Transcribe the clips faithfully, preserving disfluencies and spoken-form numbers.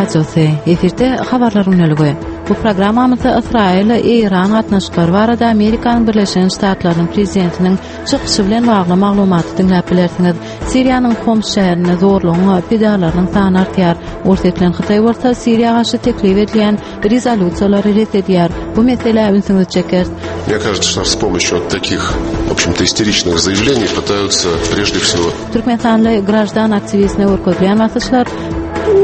Radiosy, efirde Habarlar gündeligi. Bu programmamyzda Ysraýyl-Eýran gatnaşyklary barada Amerikanyň Birleşen Ştatlarynyň Prezidentiniň çykyşy bilen bagly maglumaty diňläp bilersiňiz. Siriýanyň Homs şäherinde zorlugyň pidalarynyň sany artýar. Orsýet bilen Hytaý bolsa Siriýa garşy teklip edilýän rezolýusiýalary ret edýär. Bu meselä ünsüňizi çekeris. Мне кажется, что с помощью вот таких, в общем-то, истеричных заявлений пытаются прежде всего Türkmenistanly graždan aktiwistine görkezilýän basyşlar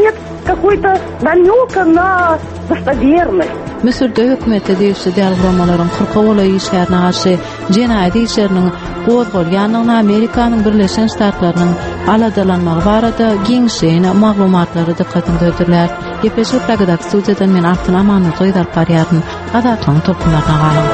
Нет какой-то намека на достоверность. Müsürde hökümete degişli däl guramalaryň kyrka golaý işgärine garşy jenaýat işleriniň gozgalýandygyna Amerikanyň Birleşen Ştatlarynyň aladalanmagy barada giňişleýin maglumatlary dykgatyňyza hödürlär. Gepleşigi Pragadaky studiýadan men Altyn Amanmurdyýewa alyp barýaryn. Azatlygyň tolkunlaryna galyň.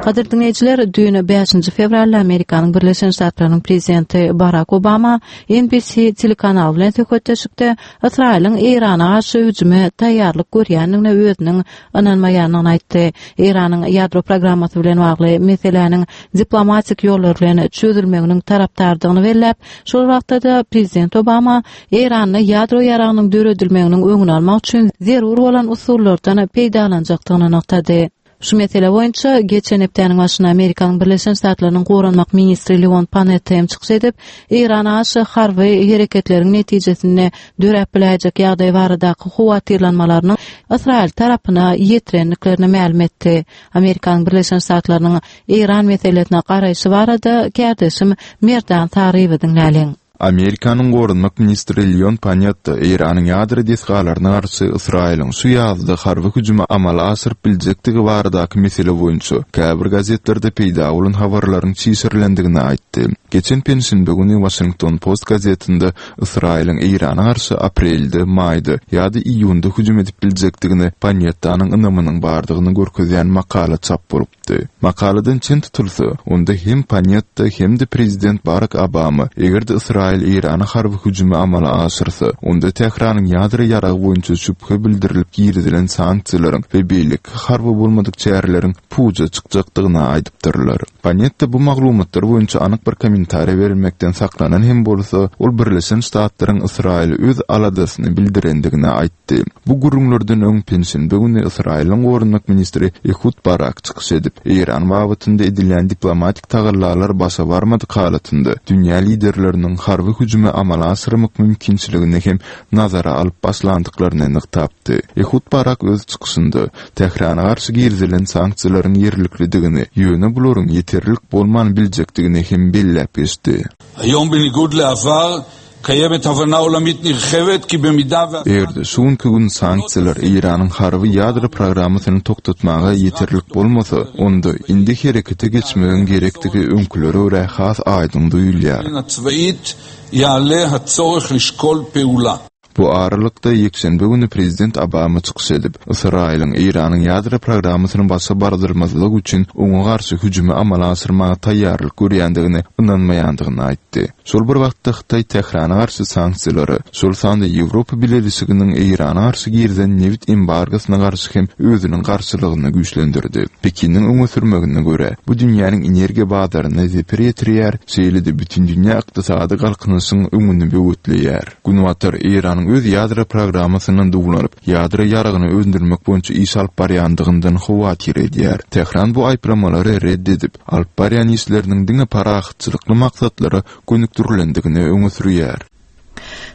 Gadyrly diňleýjiler, düýn bäşinji fewralda Amerikanyň Birleşen Ştatlarynyň prezidenti Barak Obama N B C telekanaly bilen söhbetdeşlikde Ysraýylyň Eýrana garşy hüjüme taýýarlyk görýändigine özüniň ynanmaýandygyny aýtdy. Eýranyň ýadro programmasy bilen bagly meseläniň diplomatik ýollar bilen çözülmeginiň tarapdardygyny belläp, şol wagtda-da prezident Obama Eýranda ýadro ýaragynyň döredilmeginiň öňüni almak üçin zerur bolan usullardan peýdalanjakdygyny nygtady. Şu mesele boýunça geçen hepdäniň başynda Amerikanyň Birleşen Ştatlarynyň Goranmak ministri Leon Panetta hem çykyş edip, Eýrana garşy harby hereketleriň netijesinde döräp biläýjek ýagdaý baradaky howatyrlanmalarynyň Ysraýyl tarapyna ýetirendiklerini mälim etdi. Amerikanyň Birleşen Ştatlarynyň Eýran meselesine garaýşy barada kärdeşim Merdan Saryýewi diňläliň. Amerikanyň Goranmak ministri Leon Panetta Eýranyň ýadro desgalaryna garşy Ysraýylyň şu ýazda harby hüjümi amala aşyryp biljekdigi baradaky mesele boýunça käbir gazetlerde peýda bolan habarlaryň çişirilendigini aýtdy. Geçen penşenbe güni Washington Post gazetinde Ysraýylyň Eýrana garşy aprelde, maýda ýa-da iýunda hüjüm edip biljekdigini Panettanyň ynamynyň bardygyny görkezýän makala çap bolupdy. Makaladan çen tutulsa, onda hem Panetta hem-de prezident Barack Obama eger-de Ysraýyl Eýrana harby hüjümi amala aşyrsa, onda Tähranyň ýadro ýaragy boýunça şübhe bildirilip girizilen sanksiýalaryň we beýleki harby bolmadyk çäreleriň puja çykjakdygyny aýdypdyrlar. Panetta bu maglumatlar boýunça anyk bir kommentariýa berilmekden saklanan hem bolsa, ol Birleşen Ştatlaryň Ysraýyl öz aladasyny bildirendigini aýtdy. Bu gürrüňlerden öň penşenbe güni Ysraýylyň Goranmak ministri Ehud Barak çykyş edip, Eýran babatynda edilýän diplomatik tagallalar başa barmadyk halatynda dünýä liderleriniň harby hüjümi amala aşyrmak mümkinçiligini hem nazara alyp başlandyklaryny nygtapdy. Ehud Barak öz çykyşynda Tährana garşy girizilen sanksiýalaryň ýerliklidigini, ýöne bularyň ýeterlik bolman biljekdigini hem belläp geçdi. היום בניגוד לעבר קיימת הבנה עולמית נרחבת כי במידה ו- Eger-de şu günki gün sanksiýalar Eýranyň harby ýadro programmasyny toktatmaga ýeterlik bolmasa, onda indi herekete geçmegiň gerekdigi öňkülere görä has aýdyň duýulýar. הצבאית יעלה הצורך לשקול פעולה. Bu aralykda ýekşenbe güni prezident Obama çykyş edip, Ysraýylyň Eýranyň ýadro programmasyny başa bardyrmazlyk üçin oňa garşy hüjümi amala aşyrmaga taýýarlyk görýändigini ynanmaýandygyny aýtdy. Şol bir wagtda Hytaý Tährana garşy sanksiýalary, şol sanda Ýewropa Bileleşiginiň Eýrana garşy girizen nebit embargosyna garşy hem özüniň garşylygyny güýçlendirdi. Pekiniň öňe sürmegine görä, bu dünýäniň energiýa bazaryna zeper ýetirýär, şeýle-de bütün dünýä ykdysady galkynyşyň öňüni böwetleýär. Günbatar Eýranyň öz ýadro programmasyndan duwlanyp, ýadro ýaragyny öndürmek boýunça iş alyp barýandygyndan howatyr edýär. Tähran bu aýyplamalary red edip, alyp barýan işleriniň diňe parahatçylykly maksatlara gönükdirilendigini öňe sürýär.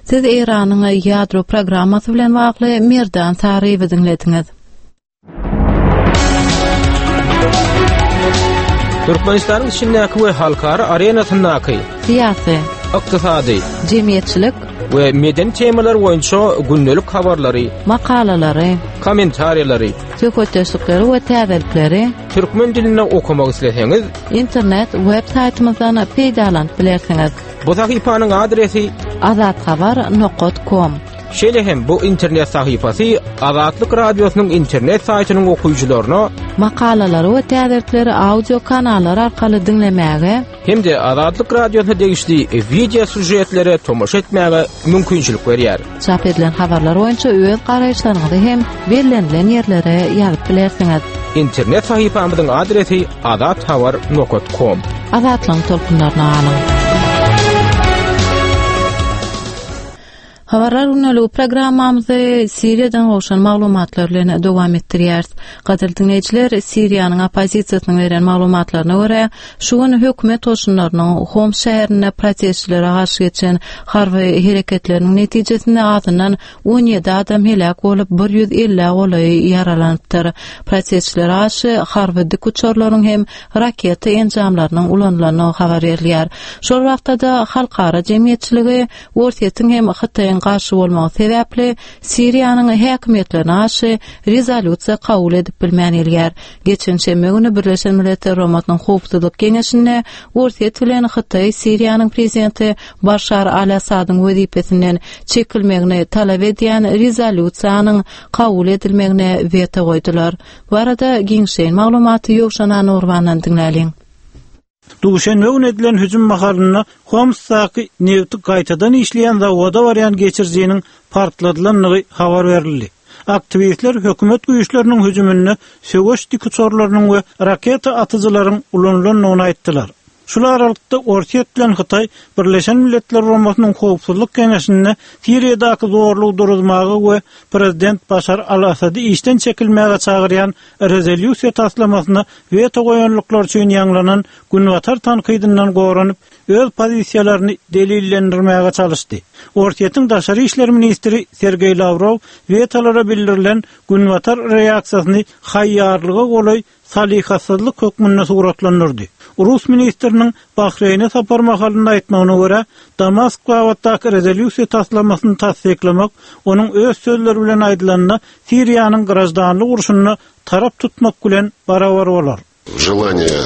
Siz Eýranyň ýadro programmasy bilen bagly Merdan Saryýewi diňlediňiz. Türkmenistanyň içindäki we halkara arenasyndaky syýasy, ykdysady, jemgyýetçilik we medeni temalar boýunça gündelik habarlary, makalalary, kommentariýalary, söhbetdeşlikleri we täzelikleri türkmen dilinde okamak isleseňiz, internet web saýtymyzdan peýdalanyp bilersiňiz. Bu sahypanyň adresi azathabar nokta com. Şeýle hem bu internet sahypasy Azatlyk Radiosynyň internet saýtynyň okyjylaryna makalalary we täzelikleri audio kanallar arkaly diňlemäge hem-de Azatlyk Radiosyna degişli video süžetlere tomaşa etmäge mümkinçilik berýär. Çap edilen habarlar boýunça öz garaýyşlaryňyzy hem bellenilen ýerlere ýazyp bilersiňiz. Internet sahypamyzyň adresi azathabar nokta com. Azatlygyň tolkunlaryna galyň. Habarlar günlügi programmamyzy Siriýadan gowşan maglumatlar bilen dowam etdirýäris. Gadyrly diňleýjiler, Siriýanyň oppozisiýasynyň beren maglumatlaryna görä, şu gün hökümet goşunlarynyň Homs şäherinde protestçilere garşy geçen harby hereketleriniň netijesinde azyndan on ýedi adam heläk bolup, bir ýüz elli golaýy ýaralanypdyr. Protestçilere garşy harby dik uçarlaryň hem raketa enjamlarynyň ulanylandygy habar berilýär. Şol wagtda-da halkara jemgyýetçiligi Orsýetiň hem Hytaýyň garşy bolmagy sebäpli Siriýanyň häkimiýetlerine garşy rezolýusiýa kabul edip bilmän gelýär. Geçen şenbe güni Birleşen Milletler Guramasynyň Howpsuzlyk Geňeşinde Orsýet bilen Hytaý Siriýanyň prezidenti Başar al-Assadyň wezipesinden çekilmegini talap edýän rezolýusiýanyň kabul edilmegine weto goýdular. Bu arada giňişleýin maglumaty Ýowşan Anurbandan diňläliň. Duşenbe güni edilen hüjüm mahalynda Homsdaky nefti gaýtadan işleýän zawoda barýan geçirijiniň partladylandygy habar berildi. Aktiwistler hökümet güýçleriniň hüjüminde söweş dikuçarlarynyň we raketa atyjylaryň ulanylandygyny aýtdylar. Şul aralykda Orsýet bilen Hytaý Birleşen Milletler Guramasynyň Howpsuzlyk Geňeşinde Siriýadaky zorlugy duruzmaga we prezident Başar al-Assady işden çekilmäge çagyrýan rezolýusiýa taslamasyna weto goýanlyklar üçin ýaňlanan Günbatar tankydyndan goranyp, öz pozisiýalaryny delillendirmäge çalyşdy. Orsýetiň daşary işler ministri Sergeý Lawrow wetolara bildirilen Günbatar reaksiýasyny haýýarlyga golaý salyhatsyzlyk hökmünde suratlandyrdy. Rus ministriniň Bahreýne sapar mahalynda aýtmagyna görä, Damask babatdaky rezolýusiýa taslamasyny tassyklamak, onuň öz sözleri bilen aýdylanda Siriýanyň graždanlyk urşunda tarap tutmak bilen barabar bolar. Желание,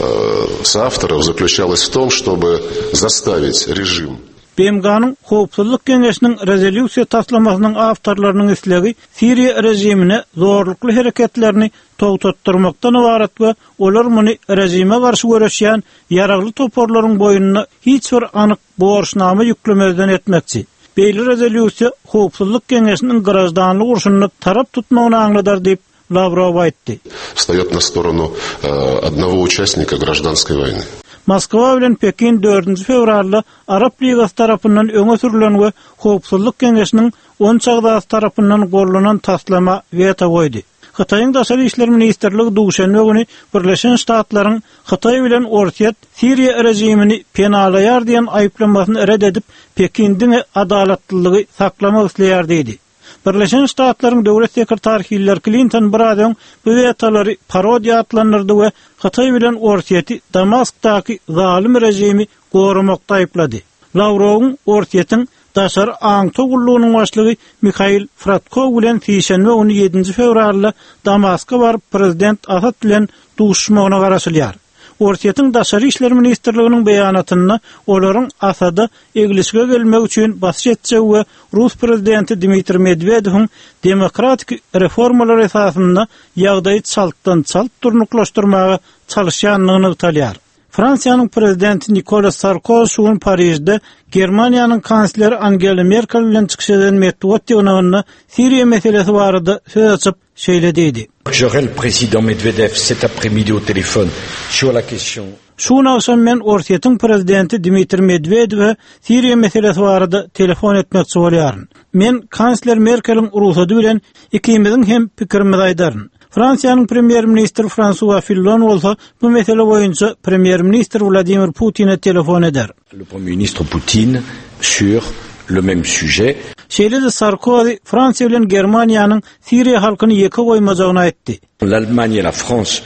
э, соавторов заключалось в том, чтобы заставить режим B M G-nyň Howpsuzlyk Geňeşiniň rezolýusiýa taslamasynyň awtorlarynyň islegi Siriýa režimine zorlukly hereketlerini togtatdyrmakdan ibarat we olar muny režime garşy göreşýän ýaragly toparlaryň boýnuna hiç bir anyk borçnama ýüklemezden etmekçi. Beýle rezolýusiýa Howpsuzlyk Geňeşiniň graždanlyk urşunda tarap tutmagyny aňladar diýip Lawrow aýtdy. Встает на сторону, э, одного участника гражданской войны. Moskwa bilen Pekin dördünji fewralda Arap Ligasy tarapyndan öňe sürülen we Howpsuzlyk Geňeşiniň on agzasy tarapyndan gollanan taslama weto goýdy. Hytaýyň Daşary işler ministrligi duşenbe güni Birleşen Ştatlaryň Hytaý bilen Orsýet Siriýa režimini penalaýar diýen aýyplamasyny red edip, Pekin diňe adalatlylygy saklamak isleýär diýdi. Birleşen Ştatlaryň döwlet sekretary Hillary Clinton bir az öň bu wetolary parodiýa atlandyrdy we Hytaý bilen Orsýeti Damaskdaky zalym režimi goramakda aýyplady. Lawrowyň Orsýetiň daşary aňtaw gullugynyň başlygy Mikhail Fradkov bilen sişenbe güni ýedinji fewralda Damaska baryp prezident Asad bilen duşuşmagyna garaşylýar. Orsýetiň Daşary işler ministrliginiň beýanatynda olaryň Asada eglişige gelmek üçin basyş etjegi we Rus prezidenti Dmitriý Medwedewiň demokratik reformalar esasynda ýagdaýy çaltdan çalt durnuklaşdyrmaga çalyşýandygyny nygtalýar. Fransiýanyň prezidenti Nicolas Sarkozy şu gün Parižde Germaniýanyň kansleri Angela Merkel bilen çykyş eden metbugat ýygnagynda Siriýa meselesi barada söz açyp şeýle diýdi. J'aurai le président Medvedev cet après-midi au téléphone sur la question. Şu gün akşam men Orsýetiň prezidenti Dmitriý Medwedewe Siriýa meselesi barada telefon etmekçi bolýaryn. Men kansler Merkeliň rugsady bilen ikimiziň hem pikirimizi aýdaryn. Fransiýanyň premýer-ministri François Fillon bolsa bu mesele boýunça premýer-ministr Vladimir Putin'e telefon eder. Le premier ministre Putin sur le même sujet. Şeýle-de Sarkozy Fransiýa bilen Germaniýanyň Siriýa halkyny ýeke goýmajagyny aýtdy. L'Allemagne et la France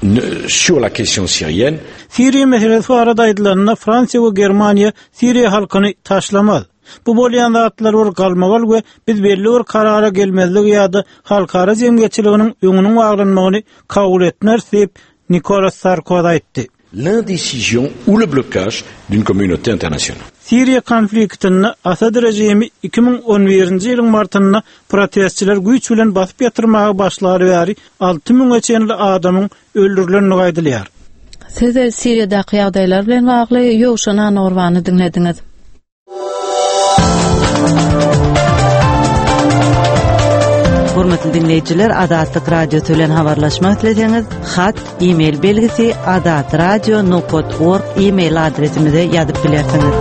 ne, sur la question syrienne. Siriýa meselesi barada aýdylanda Fransiýa we Germaniýa Siriýa halkyny taşlamaz. Bu bolýan zatlar bir galmagal we biz belli bir karara gelmezlik ýa-da halkara jemgyýetçiliginiň öňüniň baglanmagyny kabul etmez diýip Nicolas Sarkozy aýtdy. L'indécision ou le blocage d'une communauté internationale. Siriýa konfliktinde Asad režimi iki müň on birinji ýylyň martynda protestçiler güýç bilen basyp ýatyrmaga başlary bäri alty müňe çenli adamyň öldürilenligi aýdylýar. Siz Siriýadaky ýagdaýlar bilen bagly Ýowşan Annagurbany diňlediňiz. Hormatly dinleýjiler, Azatlyk Radiosy bilen habarlaşmak isleseňiz, hat, e-mail belgisi azatradio nokta org e-mail adresimize ýazyp bilersiňiz.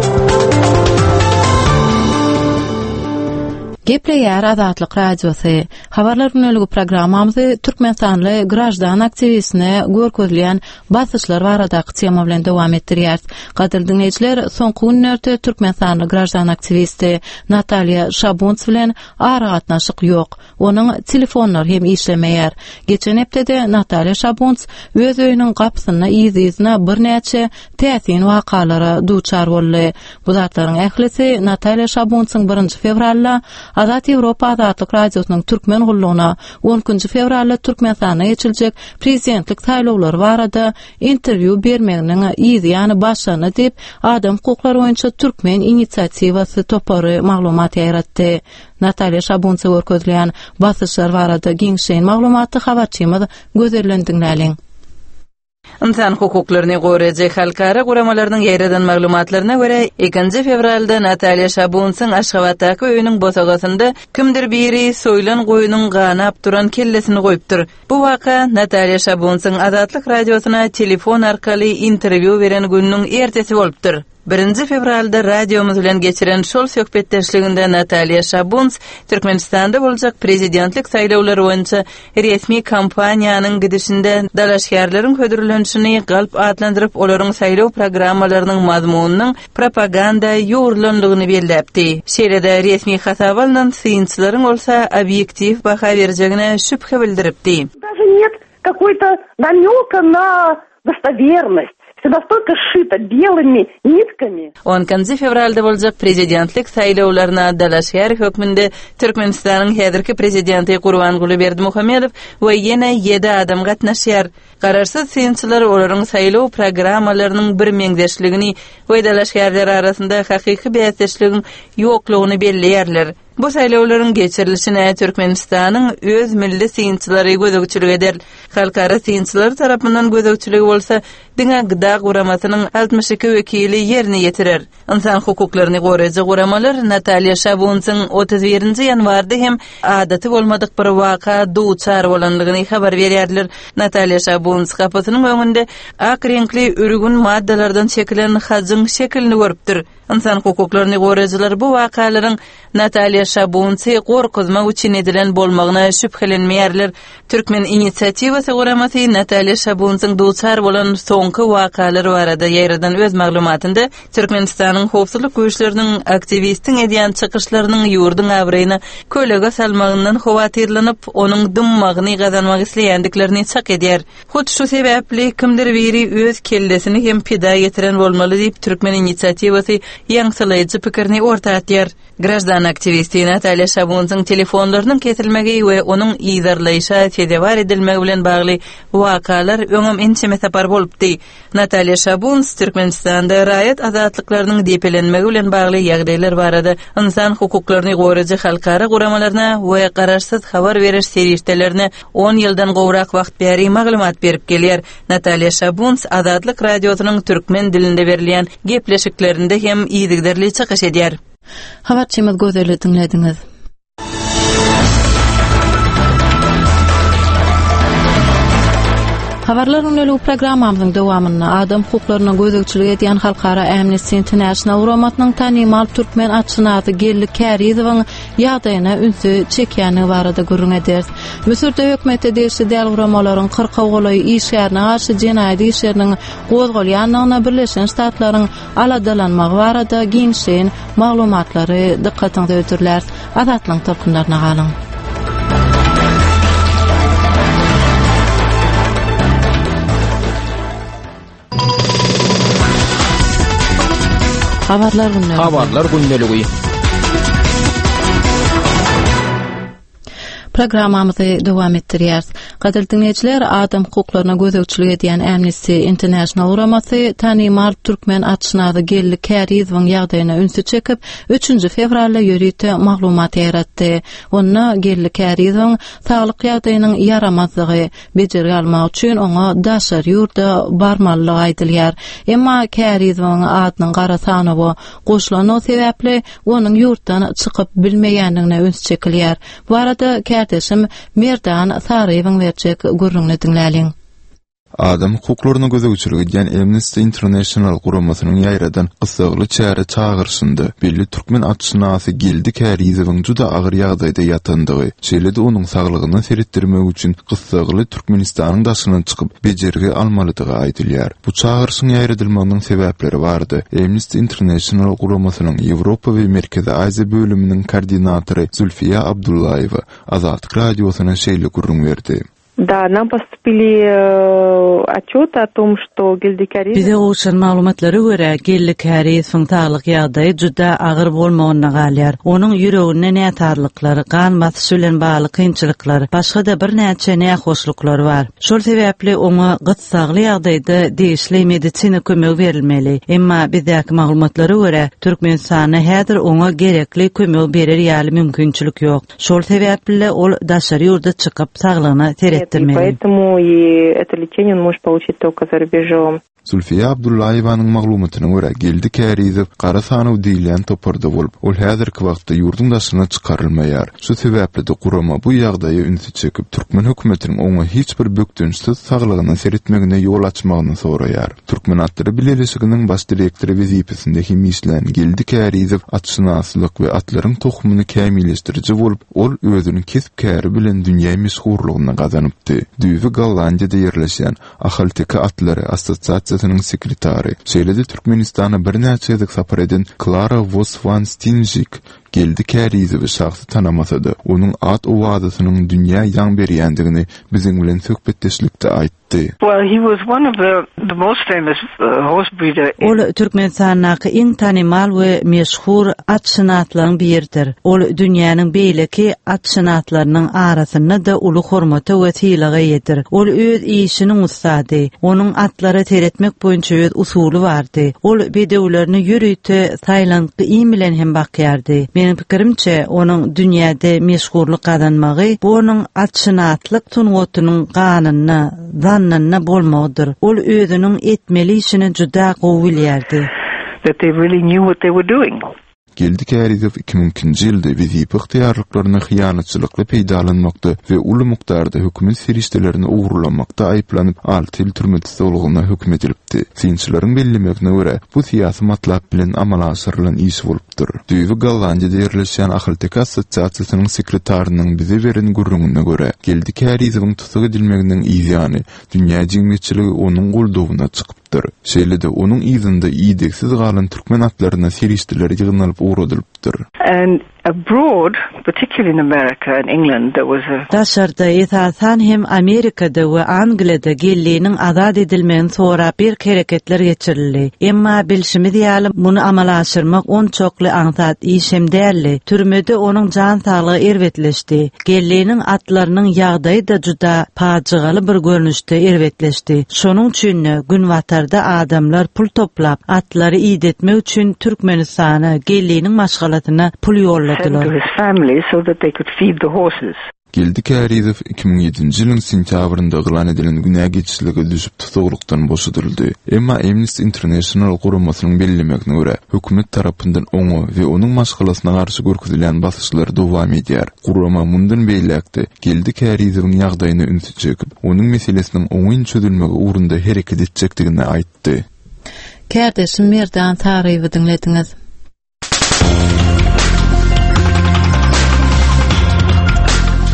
Gepleýär Azatlyk Radiosy. Habarlar güneligi programmamyzy Türkmenistanly graždan aktiwistine görkezilýän basyşlar baradaky tema bilen dowam etdirýäris. Gadyrly diňleýjiler, soňky günlerde Türkmenistanly graždan aktiwisti Natalýa Şabunts bilen aragatnaşyk ýok. Onuň telefonlary hem işlemeýär. Geçen hepdede Natalýa Şabunts öz öýüniň gapysynda yz-yzyna birnäçe täsin wakalara duçar boldy. Bu zatlaryň ählisi Natalýa Şabuntsyň birinji fewralda Azat Ýewropa Azatlyk Radiosynyň türkmen gullugyna on ikinji fewralda Türkmenistanda geçiriljek prezidentlik saýlawlary barada interwýu bermeginiň yz ýany başlandy diýip, Adam hukuklary boýunça Türkmen inisiatiwasy topary maglumat ýaýratdy. Natalýa Şabuntsa görkezilýän basyşlar barada giňişleýin maglumaty habarçymyz Gözelden diňläliň. Insan hukuklaryny goraýjy halkara guramalarynyň ýaýradan maglumatlaryna görä, ikinji fewralda Natalýa Şabuntsyň Aşgabatdaky öýüniň bosagasynda kimdir biri soýlan goýnuň ganap duran kellesini goýupdyr. Bu waka Natalýa Şabuntsyň Azatlyk Radiosyna telefon arkaly interwýu beren gününiň ertesi bolupdyr. Birinji fewralda radiomyz bilen geçiren şol söhbetdeşliginde Natalýa Şabunts Türkmenistanda boljak prezidentlik saýlawlary boýunça resmi kampaniýanyň gidişinde dalaşgärleriň hödürlenişini galp atlandyryp, olaryň saýlaw programmalarynyň mazmunynyň propaganda ýugrulandygyny belläpdi. Şeýle-de resmi hasaba alnan synçylaryň bolsa obýektiw baha berjegine şübhe bildiripdi. Даже нет какой-то намека на достоверность. Все настолько сшито белыми нитками. On ikinji fewralda boljak prezidentlik saýlawlaryna dalaşgär hökmünde Türkmenistanyň häzirki prezidenti Gurbanguly Berdimuhamedow we ýene ýedi adam gatnaşýar. Garaşsyz synçylar olaryň saýlaw programmalarynyň bir meňzeşligini we dalaşgärler arasynda hakyky bäsdeşligiň ýoklugyny belleýärler. Bu saýlawlaryň geçirilişine Türkmenistanyň öz milli synçylary gözegçilik eder. Halkara synçylary tarapyndan gözegçiligi bolsa diňe G D A guramasynyň altmyş iki wekili ýerine ýetirer. Insan hukuklaryny goraýjy guramalar Natalýa Şabuntsyň otuz birinji ýanwarda hem adaty bolmadyk bir waka duçar bolandygyny habar berýärler. Natalýa Şabunts gapysynyň öňünde ak reňkli ürgün maddalardan çekilen hajyň şekilini görüpdir. Insan hukuklaryny goraýjylar bu wakalaryň Natalýa Şabuntsy gorkuzmak üçin edilen bolmagyna şübhelenmeýärler. Türkmen inisiatiwasy guramasy Natalýa Şabuntsyň duçar bolan soňky wakalar barada ýaýradan öz maglumatynda Türkmenistanyň howpsuzlyk güýçleriniň aktiwistiň edýän çykyşlarynyň ýurduň abraýyna kölege salmagyndan howatyrlanyp, onuň dymmagyny gazanmak isleýändiklerini çak edýär. Hut şu sebäpli kimdir biri öz kellesini hem pida getiren bolmaly diýip Türkmen inisiatiwasy ýaňsylaýjy pikirini orta atýar. Graždan aktiwisti Natalýa Şabuntsyň telefonlarynyň kesilmegi we onuň yzarlaýşa sezewar edilmegi bilen bagly wakalar öňem ençeme sapar bolupdy. Natalýa Şabunts Türkmenistanda raýat azatlyklarynyň depelenmegi bilen bagly ýagdaýlar barada insan hukuklaryny goraýjy halkara guramalaryna we garaşsyz habar beriş serişdelerine on ýyldan gowrak wagt bäri maglumat berip gelýär. Natalýa Şabunts Azatlyk Radiosynyň türkmen dilinde berilýän gepleşiklerinde hem yzygiderli çykyş edýär. Habarçymyz Gözelli diňlediňiz. Habarlar günlük programmamyzyň dowamynda adam hukuklaryna gözegçilik edýän Halkara Amnesty International guramasynyň tanymal türkmen atşynasy Geldi Kärizowyň ýagdaýyna ünsi çekýändigi barada gürrüň ederis. Müsürde hökümete degişli däl guramalaryň kyrka golaý işgärine garşy jenaýat işleriniň gozgalýandygyna Birleşen Ştatlaryň aladalanmagy barada giňişleýin maglumatlary dykgatyňyza hödürläris. Azatlygyň tolkunlaryna galyň. Habarlar gündeligi. Habarlar gündeligi. Programmamyzy dowam etdirýäris. Gadyrly diňleýjiler, adam hukuklaryna gözegçilik edýän Amnesty International guramasy tanymal türkmen atşynasy Geldi Kärizowyň ýagdaýyna ünsi çekip, üçünji fewralda ýörite maglumat ýaýratdy. Onda Geldi Kärizowyň saglyk ýagdaýynyň ýaramazlygy, bejergi almak üçin oňa daşary ýurda barmalylygy aýdylýar. Emma Kärizowyň adynyň gara sanawa goşulandygy sebäpli onuň ýurtdan çykyp bilmeýändigine üns çekilýär. Bu arada kärdeşim Merdan Saryýewiň berjek gürrüňini diňläliň. Adam hukuklaryna gözegçilik edýän Amnesty International guramasynyň ýaýradan gyssagly çäre çagyryşynda belli türkmen atşynasy Geldi Kärizowyň juda agyr ýagdaýda ýatandygy, şeýle-de onuň saglygyna seretdirmek üçin gyssagly Türkmenistanyň daşyna çykyp bejergi almalydygy aýdylýar. Bu çagyryşyň ýaýradylmagynyň sebäpleri bardy. Amnesty International guramasynyň Ýewropa we Merkezi Aziýa bölüminiň koordinatory Zulfiýa Abdullaýewa Azatlyk radiosyna şeýle gürrüň berdi. Да, нам поступили э, отчеты о том, что Geldi Kärizow... Bize gowşan maglumatlara görä, Geldi Kärizowyň saglyk ýagdaýy juda agyr bolmagyna galýar. Onuň ýüreginde näsazlyklar, gan basyşy bilen bagly kynçylyklar, başga-da birnäçe nähoşluklar bar. Şol sebäpli oňa gyssagly ýagdaýda degişli medisina kömegi berilmeli. Emma bizdäki maglumatlara görä, Türkmenistanda häzir oňa gerekli kömegi berer ýaly mümkinçilik ýok. Şol sebäpli ol daşary ýurda çykyp saglygyna seretdirmeli. И поэтому и это лечение он может получить только за рубежом. Zulfiýa Abdullaýewanyň maglumatyna görä, Geldi Kärizow gara sanaw diýilýän toparda bolup, ol häzirki wagtda ýurduň daşyna çykarylmaýar. Şu sebäpli-de gurama bu ýagdaýa ünsi çekip, türkmen hökümetiniň oňa hiç bir bökdençsiz saglygyna seretmegine ýol açmagyny soraýar. Türkmen atlary bileleşiginiň baş direktory wezipesinde hem işlän Geldi Kärizow atşynaslyk we atlaryň tohumyny kämilleşdiriji bolup, ol özüniň kesp-käri bilen dünýä meşhurlygyny gazanypdy. Düýbi Gollandiýada ýerleşýän Ahalteke atlary assosiasiýasynyň sekretary, şeýle-de Türkmenistana birnäçe gezek sapar eden Klara Wos wan Stinjik Geldi Kärizowy şahsy tanamasa-da, onuň at-owazasynyň dünýä ýaň berýändigini biziň bilen söhbetdeşlikde aýtdy. Well, he was one of the, the most famous uh, horse breeder. Ol Türkmenistandaky iň tanymal we meşhur atşynaslaryň biridir. Ol dünýäniň beýleki atşynaslarynyň arasynda-da uly hormata we sylaga eýedir. Ol öz işiniň ussady. Onuň atlara seretmek boýunça öz usuly bardy. Ol bedewlerini ýörite saýlantgy iým bilen hem bakýardy. Meniň pikirimçe, onuň dünýäde meşhurlyk gazanmagy bu onuň atşynaslyk sungatynyň ganynda, zannynda bolmagydyr. Ol özüniň etmeli işini juda gowy bilýärdi. That they really knew what they were doing. Geldi Kärizow iki müň ikinji ýylda wezipe ygtyýarlyklaryny hyýanatçylykly peýdalanmakda we uly mukdarda hökümet serişdelerini ogurlamakda aýyplanyp, alty ýyl türme tussaglygyna höküm edilipdi. Synçylaryň bellemegine görä, bu syýasy matlap bilen amala aşyrylan iş bolupdyr. Düýbi Gollandiýada ýerleşýän Ahalteke assosiasiýasynyň sekretarynyň bize beren gürrüňine görä, Geldi Kärizowyň tussag edilmeginiň yzýany dünýä jemgyýetçiligi onuň goldawyna çykypdyr. Şeýle-de onuň yzynda idegsiz galan türkmen atlaryna serişdeler ýygnalyp ugradylypdyr. And abroad, particularly in America and England, there was a Daşarda, esasan hem Amerikada we Angliýada Geldiniň azat edilmegini sorap bir hereketler geçirildi. Emma bilşimiz ýaly muny amala aşyrmak onçakly aňsat iş hem däldi. Türmede onuň jan saglygy erbetleşdi. Geldiniň atlarynyň ýagdaýy-da juda pajygaly bir görnüşde erbetleşdi. Şonuň üçin günbatarda adamlar pul toplap atlary idetmek üçin Türkmenistana Geldiniň maşgalasyna pul ýolladylar. to his family so that they could feed the horses. Geldi Kärizow iki müň ýedinji ýylyň sentýabrynda yglan edilen günä geçişlige düşüp tussaglykdan boşadyldy. Emma Amnesty International guramasynyň bellemegine görä, hökümet tarapyndan oňa we onuň maşgalasyna garşy görkezilýän basyşlar dowam edýär. Gurama mundan beýläk-de Geldi Kärizowyň ýagdaýyna ünsi çekip, onuň meselesiniň oňyn çözülmegi ugrunda hereket etjekdigini aýtdy. Kärdeşim Merdan Saryýewi diňlediňiz.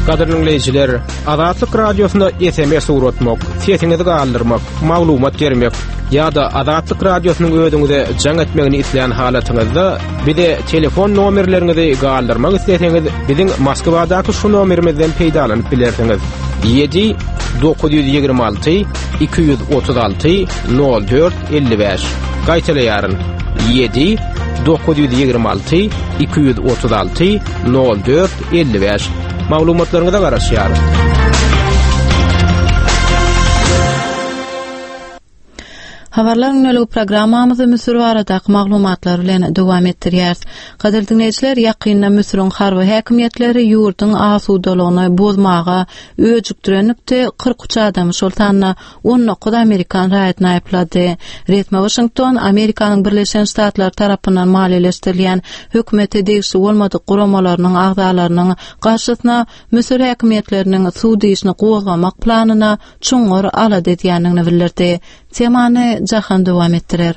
Gadyrly dinleýjiler, Azatlyk radiosyna S M S ugratmak, sesiňizi galdyrmak, maglumat bermek ýa-da Azatlyk radiosynyň özüňize jaň etmegini isleýän halatyňyzda bize telefon nomerleriňizi galdyrmak isleseňiz, biziň Moskwadaky şu nomerimizden peýdalanyp bilersiňiz. Ýedi dokuz ýüz ýigrimi alty iki ýüz otuz alty nol dört elli bäş. Gaýtalaýaryn. Ýedi dokuz ýüz ýigrimi alty iki ýüz otuz alty nol dört elli bäş. Maglumatlaryňyza garaşýarys. Habarlar gündelik programmamyzy Müsür baradaky maglumatlar bilen dowam etdirýäris. Gadyrly diňleýjiler, ýakynda Müsüriň harby häkimiýetleri ýurduň asudalygyny bozmaga öjükdirenlikde kyrk üç adamy, şol sanda on dokuz amerikan raýatyny aýyplady. Resmi Waşington Amerikanyň Birleşen Ştatlary tarapyndan maliýeleşdirilýän hökümete degişli bolmadyk guramalarynyň agzalarynyň garşysyna Müsür häkimiýetleriniň sud işini gozgamak planyna çuňňur alada edýändigini bildirdi. Temany Jahan dowam etdirer.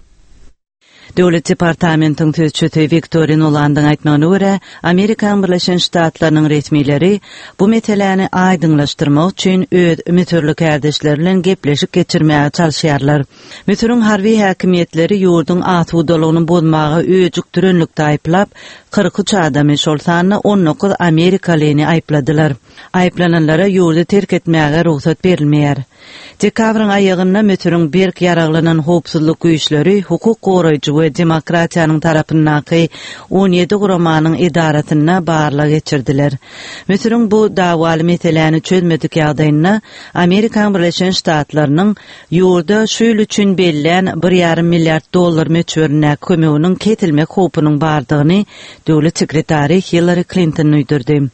Döwlet departamentiň sözçüsi Wiktoria Nulandyň aýtmagyna görä, Amerikan Birleşen Ştatlarynyň resmileri bu meseläni aýdyňlaşdyrmak üçin öz müsürli kärdeşleri bilen gepleşik geçirmäge çalyşýarlar. Müsüriň harby häkimiýetleri ýurduň asudalygyny bozmaga öjükdirenlikde aýyplap, kyrk üç adamy, şol sanda on dokuz amerikalyny aýypladylar. Aýyplananlara ýurdy terk etmäge rugsat berilmeýär. Dekabryň aýagynda Müsüriň berk ýaraglanan howpsuzlyk güýçleri hukuk goraýjy we demokratiýanyň tarapyndaky on ýedi guramanyň edarasynda barlag geçirdiler. Müsüriň bu dawaly meseläni çözmedik ýagdaýynda Amerikan Birleşen Ştatlarynyň ýurda şu ýyl üçin bellän bir ýarym milliard dollar möçberindäki kömeginiň kesilmek howpunyň bardygyny döwlet sekretary Hillary Clinton duýdurdy.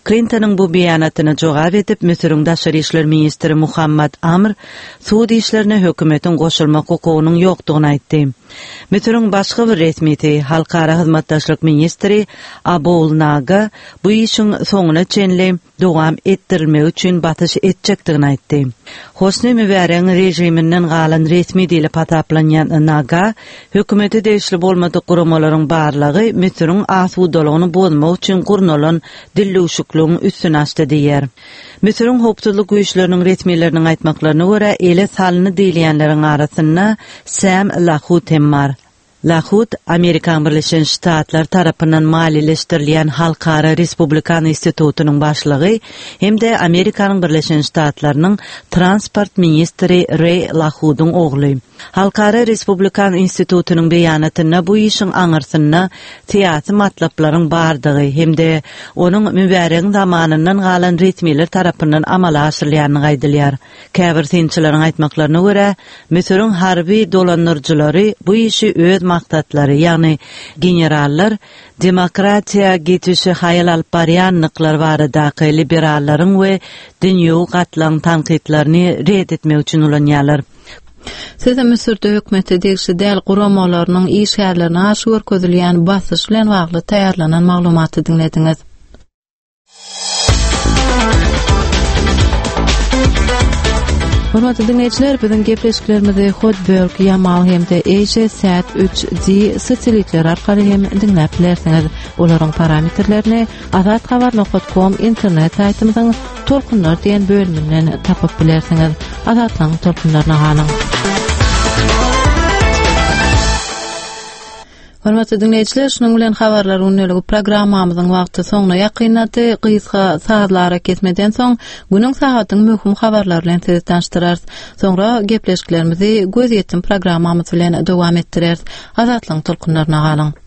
Clintonyň bu beýanatyna jogap edip Müsüriň daşary işler ministri Muhammad Amr sud işlerine hökümetiň goşulmak hukugynyň ýokdugyny aýtdy. Müsüriň başga bir resmisi, Halkara hyzmatdaşlyk ministri Abul Naga bu işiň soňuna çenli dowam etdirilmegi üçin basyş etjekdigini aýtdy. Hosni Mübaregiň rejiminden galan resmi diýlip hasaplanýan Naga hökümete degişli bolmadyk guramalaryň barlygy Müsüriň asudalygyny bozmak üçin gurnalan dillewşikligiň üstüne açdy diýär. Müsüriň howpsuzlyk güýçleriniň resmileriniň aýtmaklaryna görä, ele salyny diýilýänleriň arasynda Sam Lahut hem bar. Lahut, Amerikan Birleşen Ştatlar tarapyndan maliýeleşdirilýän Halkara Respublikan institutynyň başlygy hem-de Amerikanyň Birleşen Ştatlarynyň transport ministri Ray Lahudyň ogly. Halkara Respublikan institutynyň beýanatynda bu işiň aňyrsynda syýasy matlaplaryň bardygy hem-de onuň Mübaregiň zamanyndan galan resmiler tarapyndan amala aşyrylýandygy aýdylýar. Käbir synçylaryň aýtmaklaryna görä, Müsüriň harby dolandyryjylary bu işi öz maksatlary, ýagny generallar demokratiýa geçişi haýal alyp barýanlyklar baradaky liberallaryň we dünýewi gatlagyň tankytlaryny red etmek üçin ulanýarlar. Siz Müsürde hökümete degişli däl guramalarynyň işgärlerine garşy görkezilýän basyş bilen bagly taýýarlanan maglumaty diňlediňiz. Hormatly dinleýjiler, biziň gepleşiklerimizi Hotbird, Yamal hem-de Asia Sat üç D satelitleri arkaly hem diňläp bilersiňiz. Olaryň parametrlerini azathabar nokta com internet saýtymyzyň Tolkunlar diýen bölüminden tapyp bilersiňiz. Azatlygyň tolkunlaryna galyň. Hormatly dinleýjiler, şunuň bilen habarlar gündeligi programmamyzyň wagty soňuna ýakynlady. Gysga sazlara kesmeden soň günüň sagatyň möhüm habarlary bilen sizi tanyşdyrarys. Soňra gepleşiklerimizi göz ýetim programmamyz bilen dowam etdireris. Azatlygyň tolkunlaryna galyň.